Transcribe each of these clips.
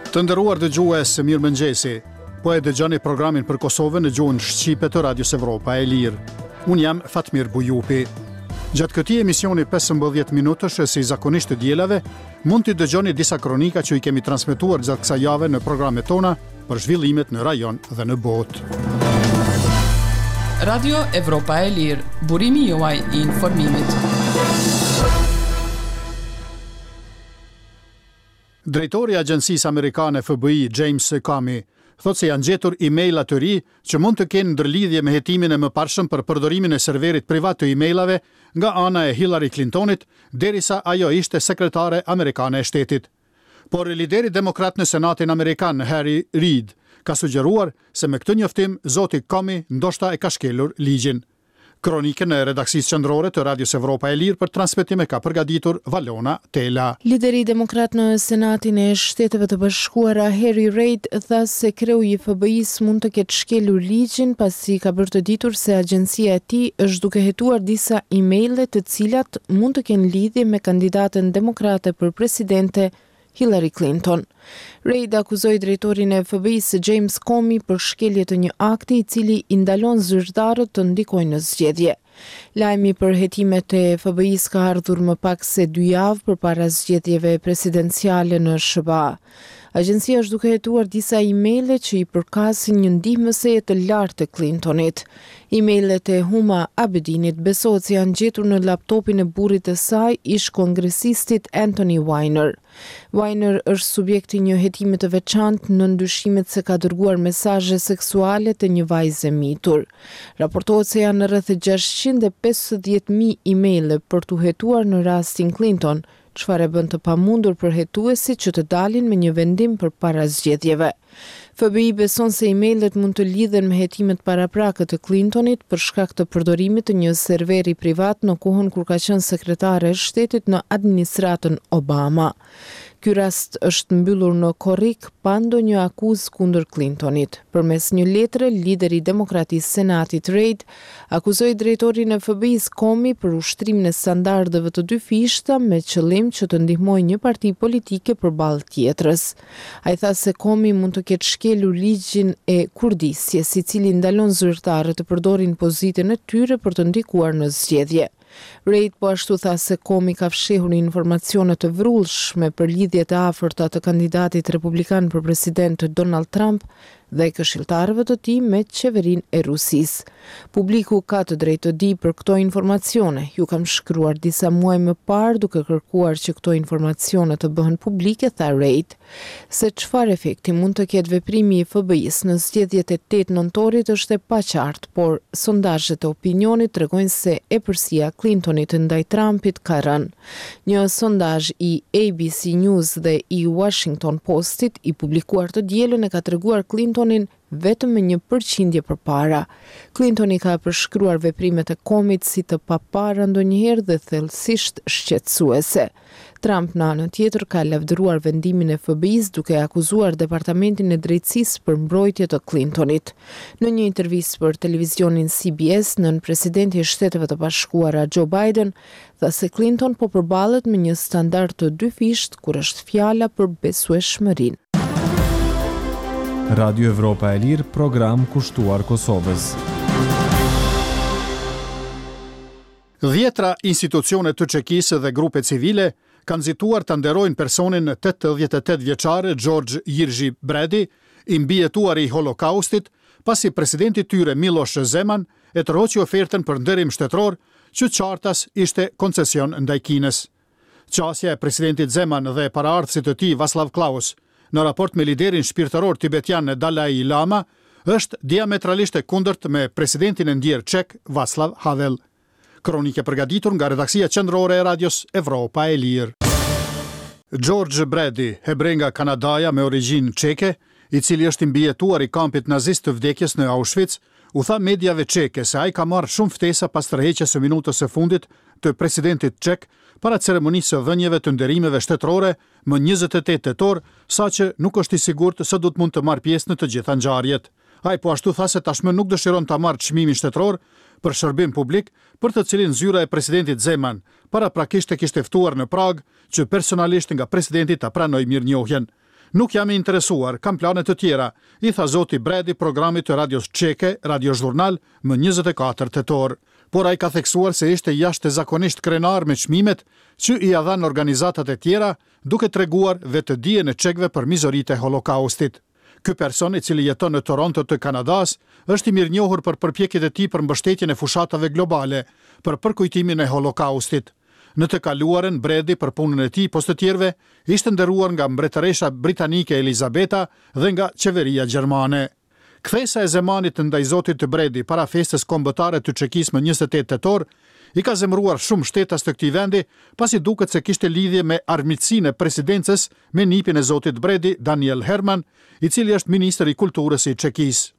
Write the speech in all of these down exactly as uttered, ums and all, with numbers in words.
Të nderuar dëgjues, mirëmëngjesi. Po e dëgjoni programin për Kosovën në gjuhën shqipe të Radios Evropa e Lirë. Unë jam Fatmir Bujupi. Gjatë këtij emisioni pesëmbëdhjetë minutësh, si zakonisht të dielave, mund t'i dëgjoni disa kronika që i kemi transmetuar gjatë kësaj jave në programet tona për zhvillimet në rajon dhe në botë. Radio Evropa e Lirë, burimi juaj i informimit. Drejtori i Agjencisë Amerikane F B I, James Comey, thotë se janë gjetur e-maila të ri që mund të kenë ndërlidhje me hetimin e mëparshëm për përdorimin e serverit privat të e-mailave nga ana e Hillary Clintonit, derisa ajo ishte sekretare amerikane e shtetit. Por lideri demokrat në Senatin Amerikan, Harry Reid, ka sugjeruar se me këtë njoftim zoti Comey ndoshta e ka shkelur ligjin. Kronikën e redaksisë qendrore të Radios Evropa e Lirë për transmetim e ka përgatitur Valona Tela. Lideri demokrat në Senatin e Shteteve të Bashkuara, Harry Reid, tha se kreu i F B I-s mund të ketë shkelur ligjin, pasi ka bërë të ditur se agjencia e tij është duke hetuar disa emaile të cilat mund të kenë lidhje me kandidaten demokrate për presidente, Hillary Clinton. Reid akuzoi drejtorin e F B I-së, James Comey, për shkelje të një akti i cili i ndalon zyrtarët të ndikojnë në zgjedhje. Lajmi për hetimet e F B I-s ka ardhur më pak se dy javë përpara zgjedhjeve presidenciale në S H B A. Agjencia është duke hetuar disa emaile që i përkasin një ndihmëseje të lartë të Clintonit. Emailet e Huma Abedinit besohet se janë gjetur në laptopin e burrit të saj, ish kongresistit Anthony Weiner. Weiner është subjekt i një hetimi të veçantë në dyshimet se ka dërguar mesazhe seksuale të një vajze mitur. Raportohet se janë rreth gjashtëqind e pesëdhjetë mijë emaile për t'u hetuar në rastin Clinton, çfarë e bën të pamundur për hetuesit që të dalin me një vendim për para zgjedhjeve. F B I beson se emailet mund të lidhen me hetimet paraprake të Clintonit për shkak të përdorimit të një serveri privat në kohën kur ka qenë sekretare e shtetit në administratën Obama. Ky rast është mbyllur në korrik pa ndonjë akuzë kundër Clintonit. Përmes një letre, lideri demokrat i Senatit, Reid, akuzoi drejtorin e F B I-s Comey për ushtrimin e standardeve të dyfishta me qëllim që të ndihmojë një parti politike përballë tjetrës. Ai tha se Comey mund të ketë shkelur ligjin e kurdisjes, i cili ndalon zyrtarët të përdorin pozitën e tyre për të ndikuar në zgjedhje. Reid po ashtu tha se Comey ka fshehur informacione të vrullshme për lidhjet e afërta të kandidatit republikan për president, Donald Trump, dhe këshilltarëve të tij me qeverinë e Rusisë. "Publiku ka të drejtë të di për këto informacione. Ju kam shkruar disa muaj më parë duke kërkuar që këto informacione të bëhen publike", tha Reid. Se çfarë efekti mund të ketë veprimi i F B I-s në zgjedhjet e tetë nëntorit është e paqartë, por sondazhet e opinionit tregojnë se epërsia Clintonit ndaj Trumpit ka rënë. Një sondazh i A B C News dhe i Washington Postit i publikuar të dielën e ka treguar Clintonin vetëm me një përqindje përpara. Clintoni ka përshkruar veprimet e Comey si të papara ndonjëherë dhe thellësisht shqetësuese. Trump, në anën tjetër, ka lavdëruar vendimin e F B I-s, duke akuzuar Departamentin e Drejtësisë për mbrojtje të Clintonit. Në një intervistë për televizionin C B S, nën presidenti i Shteteve të Bashkuara, Joe Biden, tha se Clinton po përballet me një standard të dyfisht kur është fjala për besueshmërinë. Radio Evropa e Lirë, program kushtuar Kosovës. Dhjetra institucione të Çekisë dhe grupe civile kanë nxituar të nderojnë personin tetëdhjetë e tetë vjeçar George Jiří Brady, i mbijetuari i Holokaustit, pasi presidenti tyre, Miloš Zeman, e tërhoqi ofertën për nderim shtetëror, që qartas ishte koncesion ndaj Kinës. Qasja e presidentit Zeman dhe paraardhësit të tij, Václav Klaus, në raport me liderin shpirtëror tibetian Dalai Lama është diametralisht e kundërt me presidentin e ndjerë çek, Václav Havel. Kronikë përgatitur nga redaksia qendrore e Radios Evropa e Lirë. George Brady, hebre nga Kanadaja me origjinë çeke, i cili është i mbijetuar i kampit nazist të vdekjes në Auschwitz, u tha mediave çeke se ai ka marrë shumë ftesa pas tërheqjes së minutës së fundit të presidentit çek para ceremonisë së dhënieve të nderimeve shtetërore më njëzet e tetë tetor, saqë nuk është i sigurt se do të mund të marrë pjesë në të gjitha ngjarjet. Ai po ashtu tha se tashmë nuk dëshiron ta marrë çmimin shtetëror për shërbim publik, për të cilin zyra e presidentit Zeman paraprakisht e kishte ftuar në Pragë që personalisht nga presidenti ta pranojë mirënjohjen. Nuk jam i interesuar, kam plane të tjera, i tha zoti Brady programit të radios çeke, Radio Zhurnal, më njëzet e katër tetor. Por ai ka theksuar se ishte jashtëzakonisht krenar me çmimet që ia dhanë organizatat e tjera, duke treguar vetëdijen e çekëve për mizoritë e Holokaustit. Ky person, i cili jeton në Toronto të Kanadas, është i mirënjohur për përpjekjet e tij për mbështetjen e fushatave globale për përkujtimin e Holokaustit. Në të kaluarën, Brady për punën e tij pos të tjerëve ishte nderuar nga mbretëresha britanike Elizabeta dhe nga qeveria gjermane. Kthesa e Zemanit ndaj zotit Brady para festës kombëtare të Çekisë më njëzet e tetë tetor i ka zemëruar shumë shtetas të këtij vendi, pasi duket se kishte lidhje me armiqësinë e presidencës me nipin e zotit Brady, Daniel Herman, i cili është ministër i kulturës i Çekisë.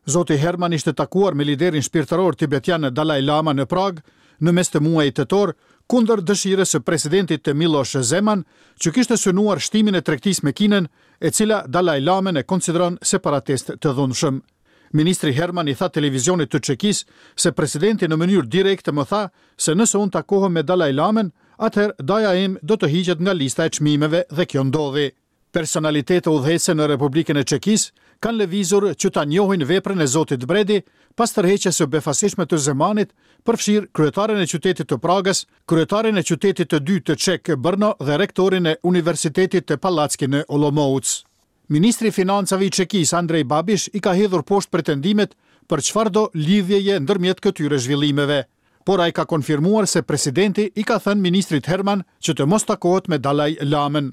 Zoti Herman ishte takuar me liderin shpirtëror tibetian Dalai Lama në Pragë në mes të muajit tetor, kundër dëshirës së presidentit të Miloš Zeman, që kishte synuar shtimin e tregtisë me Kinën, e cila Dalai Lamën e konsideron separatist të dhunshëm. Ministri Herman i tha televizionit të Çekisë se presidenti në mënyrë direkte më tha se nëse unë takohem me Dalai Lamën, atëherë daja im do të hiqet nga lista e çmimeve dhe kjo ndodhi. Personalitete udhëheqëse në Republikën e Çekisë kanë lëvizur që ta njohin veprën e zotit Brady pas tërheqjes së befasishme të Zemanit, përfshirë kryetarin e qytetit të Pragës, kryetarin e qytetit të dytë të Çek Brno dhe rektorin e Universitetit të Palacki në Olomouc. Ministri i Financave i Çekisë Andrej Babish i ka hedhur poshtë pretendimet për çfarëdo lidhjeje ndërmjet këtyre zhvillimeve, por ai ka konfirmuar se presidenti i ka thënë ministrit Herman që të mos takohet me Dalai Lamën.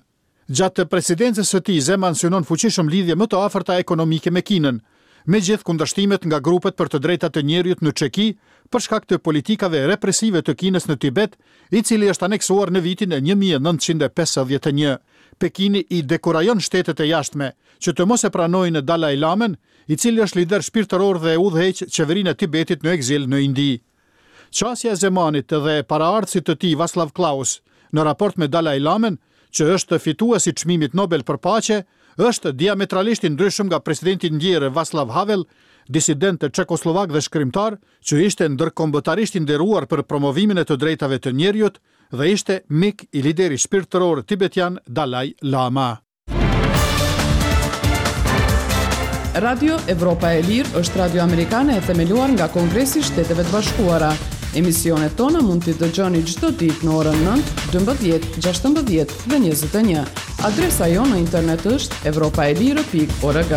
Gjatë presidencës së tij, Zeman synon fuqishëm lidhje më të afërta ekonomike me Kinën, me gjithë kundërshtimet nga grupet për të drejtat e njeriut në Çeki për shkak të politikave represive të Kinës në Tibet, i cili është aneksuar në vitin e një mijë e nëntëqind e pesëdhjetë e një. Pekini i dekurajon shtetet e jashtme që të mos e pranojnë Dalai Lamën, i cili është lider shpirtëror dhe udhëheq qeverinë e Tibetit në egzil në Indi. Qasja e Zemanit dhe paraardhësit të tij Václav Klaus në raport me Dalai Lamën, që është fitues i çmimit Nobel për paqe, është diametralisht i ndryshëm nga presidenti i ndjerë Václav Havel, disident çekoslovak dhe shkrimtar, që ishte ndërkombëtarisht i nderuar për promovimin e të drejtave të njeriut dhe ishte mik i liderit shpirtëror tibetian Dalai Lama. Radio Evropa e Lirë është radio amerikane e themeluar nga Kongresi i Shteteve të Bashkuara. Emisionet tona mund t'i dëgjoni çdo ditë në orën nëntë, dymbëdhjetë, gjashtëmbëdhjetë dhe njëzet e një. Adresa jonë në internet është evropaelire pikë org.